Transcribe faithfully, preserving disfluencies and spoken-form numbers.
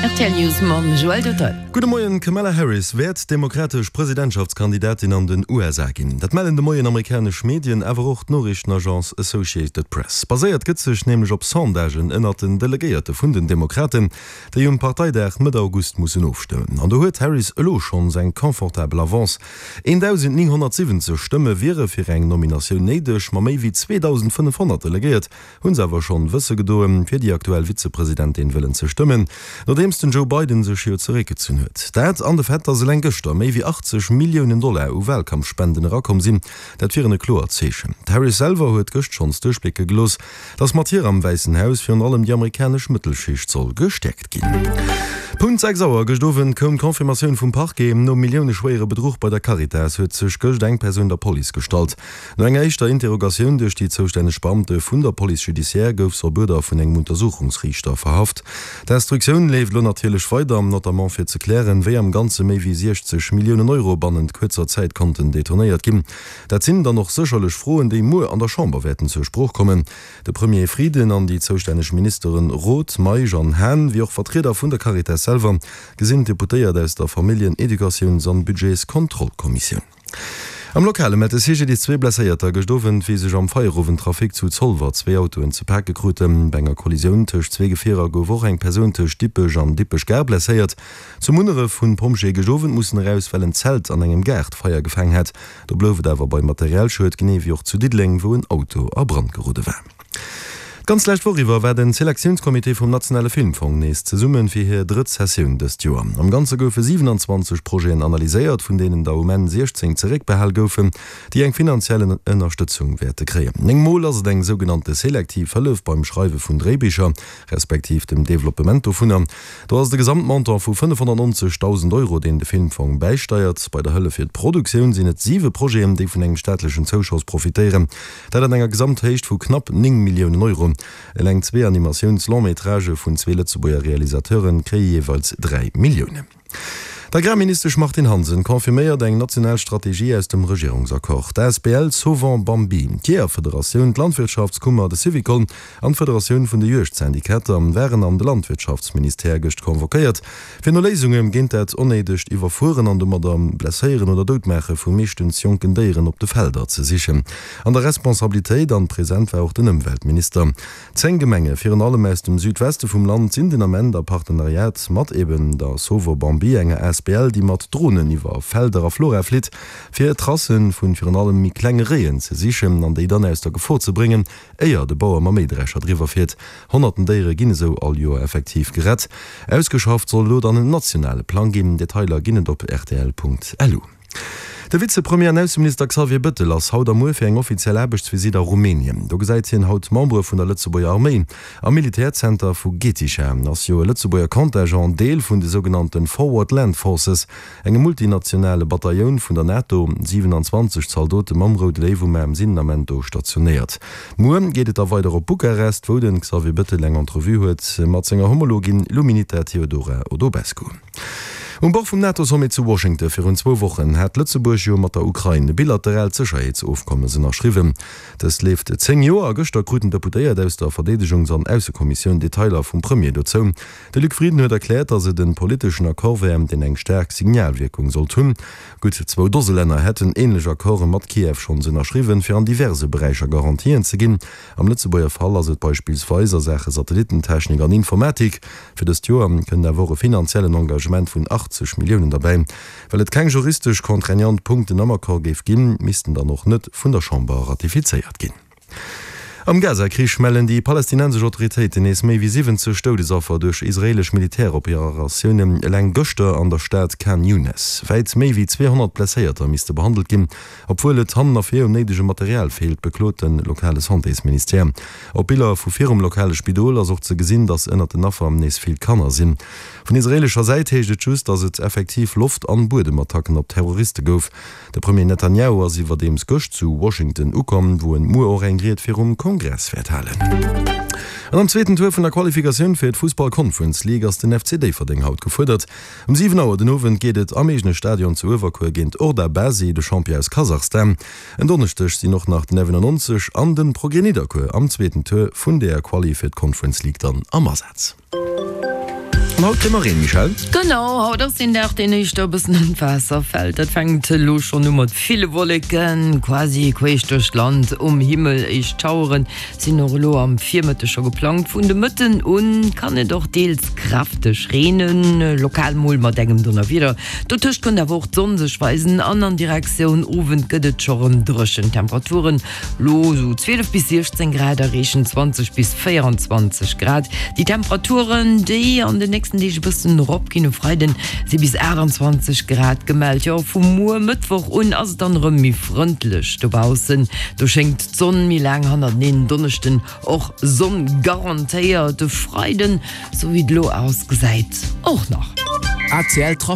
Rtl News mam Joël Duttel. Gudde Moien, D'Kamala Harris wäert demokratesch Presidentschaftskandidatin an den U S A ginn. Dat mellen de Moien amerikanesch Medien, awer och d'Noriichtenagence Associated Press. Baséiert gëtt sech nämlech op Sondagen ënnert den Delegéierte vun den Demokraten, déi um Parteidag Mëtt August mussen ofstëmmen. An do huet d'Harris elo schonns eng confortabel Avance. eendausendnénghonnertsiwwenzeg Stëmme wiere fir eng Nominatioun néideg, ma méi wéi zweedausendfënnefhonnert Delegéiert hu se awer schonn wësse gedoen, fir déi aktuell Vizepresidentin wëllen ze stëmmen, nodeems den Joe Biden sech jo zeréckgezunn huet. Dat an de Fait, datt eleng gëschter méi wéi achtzeg Milliounen Dollar u Walkampfspenden erakomm sinn, dat wieren e kloert Zeechen. D'Harris selwer huet gëscht schonns duerchblécke gelooss, datt mat hir am Wäissen Haus virun allem déi amerikanesch Mëttelschicht soll gestäerkt ginn. Punkt sechs Auer gëscht Owend koum d'Confirmatioun vum Parquet. Nom milliouneschwéiere Bedruch bei der Caritas huet sech gëscht eng Persoun der Police gestallt. No enger éischter Interrogatioun duerch déi zoustänneg Beamte vun der Police judiciaire gouf se op Uerder vun engem Untersuchungsriichter verhaft. D'Instruktioun leeft elo natierlech weider, notamment fir ze klären, wéi am Ganze méi wéi siechzeg Milliounen Euro bannent kuerzer Zäit konnten detournéiert ginn. Dat sinn dann och sécherlech Froen, déi muer an der Chamber wäerten zur Sprooch kommen. De Premier Frieden an déi zoustänneg Ministeren Roth, Meisch an Hahn, wéi och Vertrieder vun der Caritas selwer, gesinn d'Deputéiert aus der Familljen-, Educatiouns an Budgetskontrollkommissioun. Am Lokale mellt de C G D zwee Blesséierter gëscht Owend, wéi sech am Feierowendtrafic zu Zolwer zwee Autoen ze pake kruten. Bei enger Kollisioun tëscht zwee Gefierer gouf och eng Persoun tëscht Dippech an Dippech-Gare blesséiert. Zu Munneref hunn d'Pompjeeë gëscht Owend mussen eraus, well en Zelt an engem Gaart Feier gefaang hat. Do blouf et awer bei Materialschued, genee wéi och zu Diddeleng, wou en Auto a Brand gerode war. D'ganz lescht Woch iwwer war den Selektiounscomité vum Nationale Filmfong nees zesummen fir hir drëtt Sessioun dëst Joer. Am Ganze goufe siewenanzwanzeg Projeten analyséiert, vun deenen der um Enn siechzéng zeréckbehal goufen, déi eng finanziell Ënnerstëtzung wäerte kréien. Néng Mol ass et eng sougenannte selektiv Hëllef beim Schreiwe vun Dréibicher, respektiv dem Developpement dovunner. Do ass de Gesamtmontant vu fënnefhonnertneunzegdausend Euro, deen de Filmfong bäisteiert. Bei der Hëllef fir d'Produktioun sinn et siwe Projeten, déi vun engem staatlechen Zouschoss profitéieren. Dat an enger Gesamthéicht vu knapp néng Milliounen Euro. Eleng zwee Animatiouns-Long-métragë vun zwee Lëtzebuerger Realisateuren kréie jeeweils dräi Milliounen. D'Agrarministesch Martine Hansen confirméiert eng national Strategie aus dem Regierungsaccord. D'A S B L Sauvons Bambi, d'Jeeërfederatioun, d'Landwirtschaftskummer, de Syvicol an d'Federatioun vun de Juegdsyndikater waren an de Landwirtschaftsministère gëscht convoquéiert, fir no Léisunge géint dat onnéidegt Iwwerfueren an domadder Blesséieren oder Doudmaache vu meeschtens jonken Déieren op de Felder ze sichen. An der Responsabilitéit an present war och den Ëmweltminister. Zéng Gemenge, virun allem aus dem Südweste vum Land, sinn den Ament a Partenariat mat eben der Sauvons Bambi, enger A S B L, déi mat Drohnen iwwer Felder a Flora flitt, fir Tracen vun virun allem méi klenge Réien ze sichen an déi dann aus der Gefor ze bréngen, éier de Bauer mam Méidrescher driwwer fiert. Honnerten Déiere ginn esou all Joer effektiv gerett. Ausgeschafft soll elo dann en nationale Plang ginn. Detailer ginn et op R T L Punkt L U. De Vizepremier an Ausseminister Xavier Bettel ass haut am muer fir eng offiziell Aarbechtsvisite a Rumänien. Do gesäit hien haut Membere vun der Lëtzebuerger Arméi. Am Militärzenter vu Getișa ass jo e Lëtzebuerger Contingent Deel vun de sougenannten Forward Land Forces, engem multinationale Bataillon vun der NATO. siewenanzwanzeg Zaldote mam Roude Léiw um Aarm sinn am Ament do stationéiert. Muer geet et da weider op Bukarest, wou den Xavier Bettel eng Entrevue huet mat senger Homologin Luminita Teodora Odobescu. Um Bord vum NATO-Sommet zu Washington virun zwou Wochen hat Lëtzebuerg jo mat der Ukrain e bilateraalt Sécherheetsofkommes ënnerschriwwen. Dëst leeft zéng Joer a gëschter kruten Deputéiert aus der Verdeedegungs- an Aussekommissioun Detailer vum Premier dozou. De Luc Frieden huet erkläert, datt et en politeschen Accord wär, deen eng staark Signalwirkung sollt hunn. Gutt zwou Dose Länner hätten ähnlech Accorde mat Kiew schonns ënnerschriwwen, fir an diverse Beräicher Garantien ze ginn. Am Lëtzebuerger Fall ass et beispillsweis a Sache Satellitentechnik an Informatik. Fir dëst Joer kënnt awer och e finanziellen Engagement vun achtzeg Milliounen dabei. Well et keng juristesch contraignant Punkten am Accord géif ginn, missten dann och net vun der Chamber ratifizéiert ginn. Am Gazakrich mellen déi palästinensesch Autoritéiten nees méi wéi siwwenzeg Doudesaffer duerch israelesch Militäroperatiounen eleng gëschter an der Stad Khan Younes. Wäit méi wéi zweehonnert Blesséierter misste behandelt ginn, obwuel et hannen a vir um néidege Material feelt, beklot den lokale Santésministère. Op Biller vu virum lokale Spidol ass och ze gesinn, datt ënnert den Affer nees vill Kanner sinn. Vun israelescher Säit heescht et just, datt et effektiv Loft- an Buedemattacken op Terroriste gouf. De Premier Netanyahu ass iwwerdeems gëscht zu Washington ukomm, wou en muer och eng Ried virum Kongress wäert halen. An am zweeten Tour vun der Qualifikatioun fir d'Fußball Conference League ass den F C Déifferdeng haut gefuerdert. Um siwen Auer den Owend geet et am eegene Stadion zu Uewerkuer géint Orda Basi, de Champion aus Kasachstan. En Donneschdeg sinn och nach den F neunundneunzeg an den Progrès Nidderkuer am zweeten Tour vun der Quali fir d'Conference League dann am Asaz. An haut kréie mer Reen, Michèle? Genau, haut ass deen Dag, deen éischter e bëssen an d'Waasser fält. Dat fänkt elo schonn u mat ville Wolleken, quasi queesch duerch d'Land um Himmel. Éischt Schauere sinn och elo am Virmëtteg scho geplangt. Vun de Mëtten un kann et och deels kräfteg reenen, lokal mol mat engem Donnerwieder. Dotëscht kënnt awer och d'Sonn sech weisen an an Direktioun Owend gëtt et scho rëm dréchen. Temperaturen elo sou zwielef bis siechzéng Grad, erreechen zwanzeg bis véieranzwanzeg Grad. Déi Temperaturen, déi an den nächsten Deeg e bëssen erop ginn, um Freiden si bis aachtanzwanzeg Grad gemellt. Jo, vu muer Mëttwoch un ass et dann erëm méi frëndlech dobaussen, do schéngt d'Sonn méi laang hannerteneen. Donneschden och Sonn garantéiert, de Freiden, sou wéi et elo ausgesäit, och nach. A C L Trafic.